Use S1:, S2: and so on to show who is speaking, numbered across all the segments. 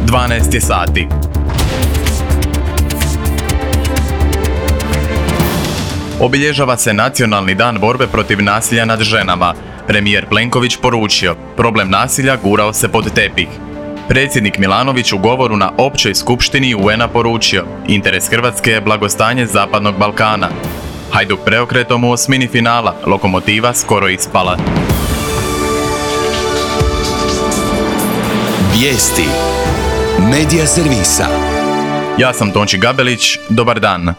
S1: 12 je sati. Obilježava se Nacionalni dan borbe protiv nasilja nad ženama. Premijer Plenković poručio, problem nasilja gurao se pod tepih. Predsjednik Milanović u govoru na općoj skupštini UN-a poručio, interes Hrvatske je blagostanje Zapadnog Balkana. Hajduk preokretom u osmini finala, Lokomotiva skoro ispala.
S2: Vijesti Medija servisa.
S1: Ja sam Tonči Gabelić, dobar dan.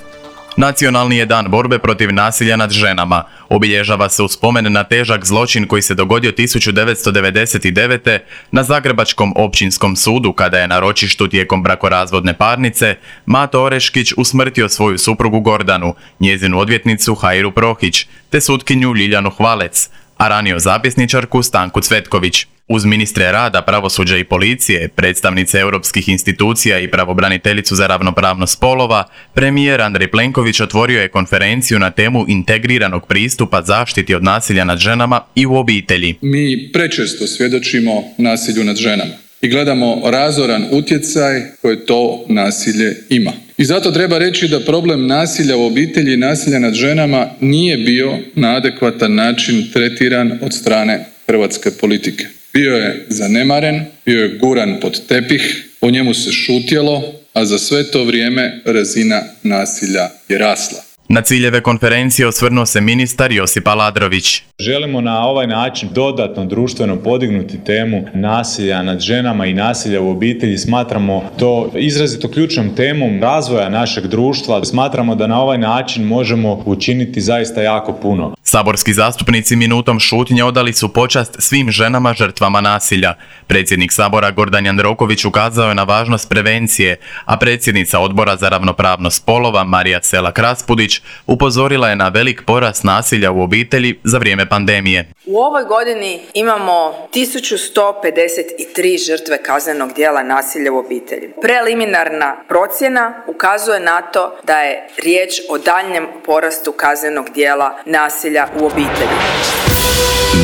S1: Nacionalni je dan borbe protiv nasilja nad ženama. Obilježava se u spomen na težak zločin koji se dogodio 1999. na Zagrebačkom općinskom sudu kada je na ročištu tijekom brakorazvodne parnice Mato Oreškić usmrtio svoju suprugu Gordanu, njezinu odvjetnicu Hairu Prohić, te sutkinju Ljiljanu Hvalec, a ranio zapisničarku Stanku Cvetković. Uz ministre rada, pravosuđa i policije, predstavnice europskih institucija i pravobraniteljicu za ravnopravnost spolova, premijer Andrej Plenković otvorio je konferenciju na temu integriranog pristupa zaštiti od nasilja nad ženama i u obitelji.
S3: Mi prečesto svjedočimo nasilju nad ženama i gledamo razoran utjecaj koje to nasilje ima. I zato treba reći da problem nasilja u obitelji i nasilja nad ženama nije bio na adekvatan način tretiran od strane hrvatske politike. Bio je zanemaren, bio je guran pod tepih, o njemu se šutjelo, a za sve to vrijeme razina nasilja je rasla.
S1: Na ciljeve konferencije osvrnuo se ministar Josip Aladrović.
S4: Želimo na ovaj način dodatno društveno podignuti temu nasilja nad ženama i nasilja u obitelji. Smatramo to izrazito ključnom temom razvoja našeg društva. Smatramo da na ovaj način možemo učiniti zaista jako puno.
S1: Saborski zastupnici minutom šutnje odali su počast svim ženama žrtvama nasilja. Predsjednik Sabora Gordan Jandroković ukazao je na važnost prevencije, a predsjednica Odbora za ravnopravnost spolova Marija Selak-Raspudić upozorila je na velik porast nasilja u obitelji za vrijeme pandemije.
S5: U ovoj godini imamo 1153 žrtve kaznenog djela nasilja u obitelji. Preliminarna procjena ukazuje na to da je riječ o daljnjem porastu kaznenog djela nasilja u obitelji.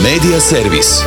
S2: Medija servis.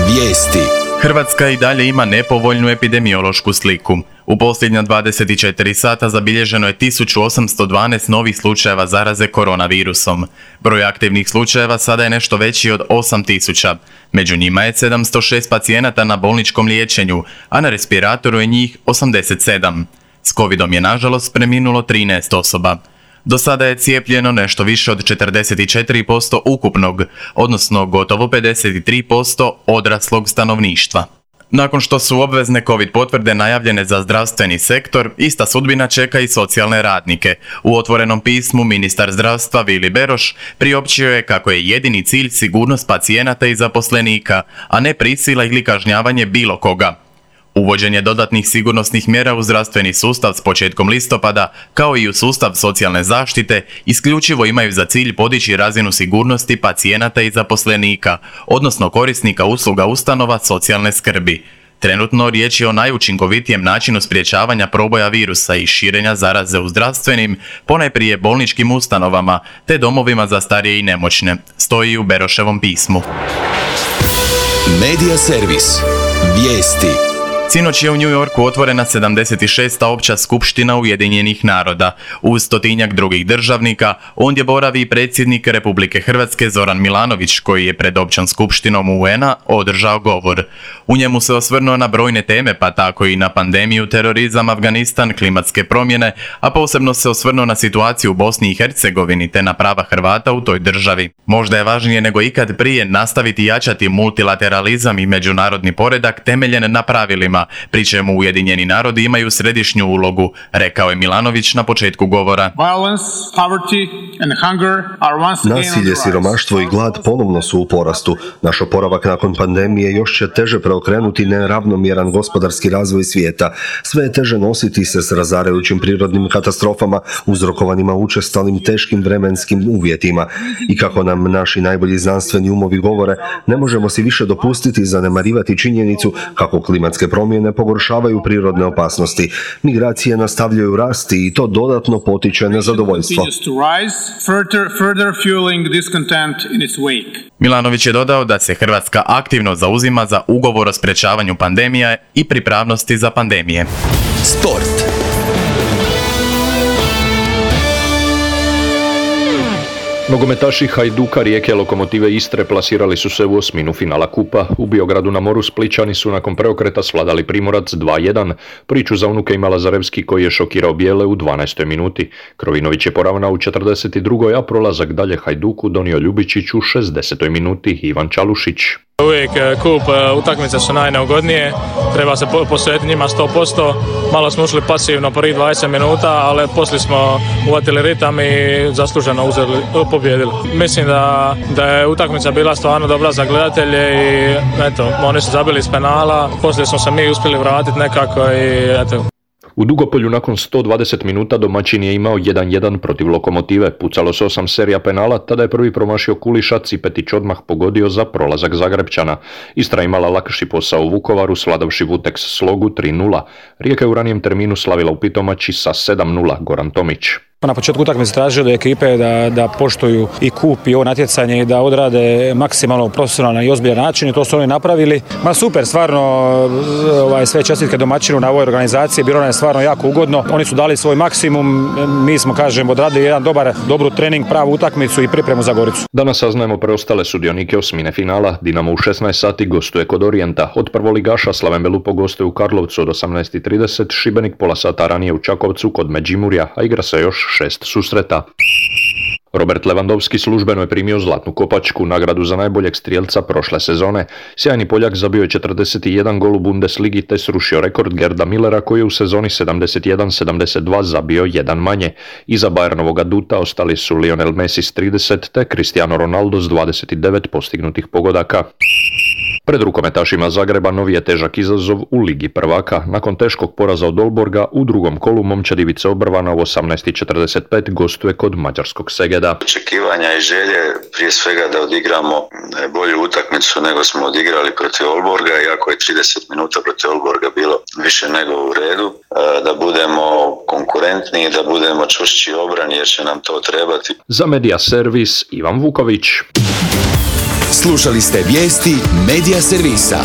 S2: Vijesti.
S1: Hrvatska i dalje ima nepovoljnu epidemiološku sliku. U posljednja 24 sata zabilježeno je 1812 novih slučajeva zaraze koronavirusom. Broj aktivnih slučajeva sada je nešto veći od 8000. Među njima je 706 pacijenata na bolničkom liječenju, a na respiratoru je njih 87. S covidom je nažalost preminulo 13 osoba. Do sada je cijepljeno nešto više od 44% ukupnog, odnosno gotovo 53% odraslog stanovništva. Nakon što su obvezne COVID potvrde najavljene za zdravstveni sektor, ista sudbina čeka i socijalne radnike. U otvorenom pismu ministar zdravstva Vili Beroš priopćio je kako je jedini cilj sigurnost pacijenata i zaposlenika, a ne prisila ili kažnjavanje bilo koga. Uvođenje dodatnih sigurnosnih mjera u zdravstveni sustav s početkom listopada, kao i u sustav socijalne zaštite, isključivo imaju za cilj podići razinu sigurnosti pacijenata i zaposlenika, odnosno korisnika usluga ustanova socijalne skrbi. Trenutno riječ je o najučinkovitijem načinu sprječavanja proboja virusa i širenja zaraze u zdravstvenim, ponajprije bolničkim ustanovama, te domovima za starije i nemoćne, stoji u Beroševom pismu.
S2: Medija servis. Vijesti.
S1: Sinoć je u New Yorku otvorena 76. opća skupština Ujedinjenih naroda. Uz 100-tinjak drugih državnika, ondje boravi i predsjednik Republike Hrvatske Zoran Milanović, koji je pred općom skupštinom UN-a održao govor. U njemu se osvrnuo na brojne teme, pa tako i na pandemiju, terorizam, Afganistan, klimatske promjene, a posebno se osvrnuo na situaciju u Bosni i Hercegovini te na prava Hrvata u toj državi. Možda je važnije nego ikad prije nastaviti jačati multilateralizam i međunarodni poredak temeljen na pravilima, pri čemu Ujedinjeni narodi imaju središnju ulogu, rekao je Milanović na početku govora.
S6: Nasilje, siromaštvo i glad ponovno su u porastu. Naš oporavak nakon pandemije još će teže preokrenuti neravnomjeran gospodarski razvoj svijeta. Sve je teže nositi se s razarajućim prirodnim katastrofama uzrokovanima učestalim teškim vremenskim uvjetima. I kako nam naši najbolji znanstveni umovi govore, ne možemo si više dopustiti zanemarivati činjenicu kako klimatske promjene promjene pogoršavaju prirodne opasnosti. Migracije nastavljaju rasti i to dodatno potiče nezadovoljstvo.
S1: Milanović je dodao da se Hrvatska aktivno zauzima za ugovor o sprečavanju pandemija i pripravnosti za pandemije.
S2: Sport.
S7: Nogometaši Hajduka, Rijeke, Lokomotive Istre plasirali su se u osminu finala kupa. U Biogradu na moru Splićani su nakon preokreta svladali Primorac 2-1. Priču za unuke ima Lazarevski koji je šokirao bijele u 12. minuti. Krovinović je poravnao u 42. a prolazak dalje Hajduku donio Ljubičić u 60. minuti Ivan Čalušić.
S8: Uvijek kup utakmice su najneugodnije, treba se posvetiti njima 100%. Malo smo ušli pasivno prvih 20 minuta, ali poslije smo uvatili ritam i zasluženo pobjedili. Mislim da je utakmica bila stvarno dobra za gledatelje i eto, oni su zabili iz penala, poslije smo se mi uspjeli vratiti nekako i eto.
S7: U Dugopolju nakon 120 minuta domaćin je imao 1-1 protiv Lokomotive. Pucalo se 8 serija penala, tada je prvi promašio Kuliša, Cipetić odmah pogodio za prolazak Zagrepčana. Istra imala lakši posao u Vukovaru, svladavši Vuteks Slogu 3-0. Rijeka je u ranijem terminu slavila u Pitomači sa 7-0, Goran Tomić.
S9: Na početku utakmice tražio od ekipe da poštuju i kup i ovo natjecanje i da odrade maksimalno profesionalan i ozbiljan način i to su oni napravili. Super, stvarno sve čestitke domaćinu na ovoj organizaciji, bilo nam je stvarno jako ugodno. Oni su dali svoj maksimum, mi smo odradili jedan dobru trening, pravu utakmicu i pripremu za Goricu.
S7: Danas saznajemo preostale sudionike osmine finala. Dinamo u 16 sati gostuje kod Orijenta. Od prvoligaša Slaven Belupo gostuje u Karlovcu od 18:30, Šibenik pola sata ranije u Čakovcu kod Međimurja, a igra se još 6 susreta. Robert Lewandowski službeno je primio Zlatnu kopačku, nagradu za najboljeg strijelca prošle sezone. Sjajni Poljak zabio je 41 gol u Bundesligi te srušio rekord Gerda Millera koji je u sezoni 71-72 zabio jedan manje. Iza Bayernovog aduta ostali su Lionel Messi s 30 te Cristiano Ronaldo s 29 postignutih pogodaka. Pred rukometašima Zagreba novi je težak izazov u Ligi prvaka. Nakon teškog poraza od Olborga u drugom kolu momčad Ivice Obrvana u 18:45 gostuje kod mađarskog Segeda.
S10: Očekivanja i želje prije svega da odigramo bolju utakmicu nego smo odigrali protiv Olborga, iako je 30 minuta protiv Olborga bilo više nego u redu, da budemo konkurentni i da budemo čvršći obrani jer će nam to trebati.
S7: Za Media Servis Ivan Vuković.
S2: Slušali ste vijesti Media Servisa.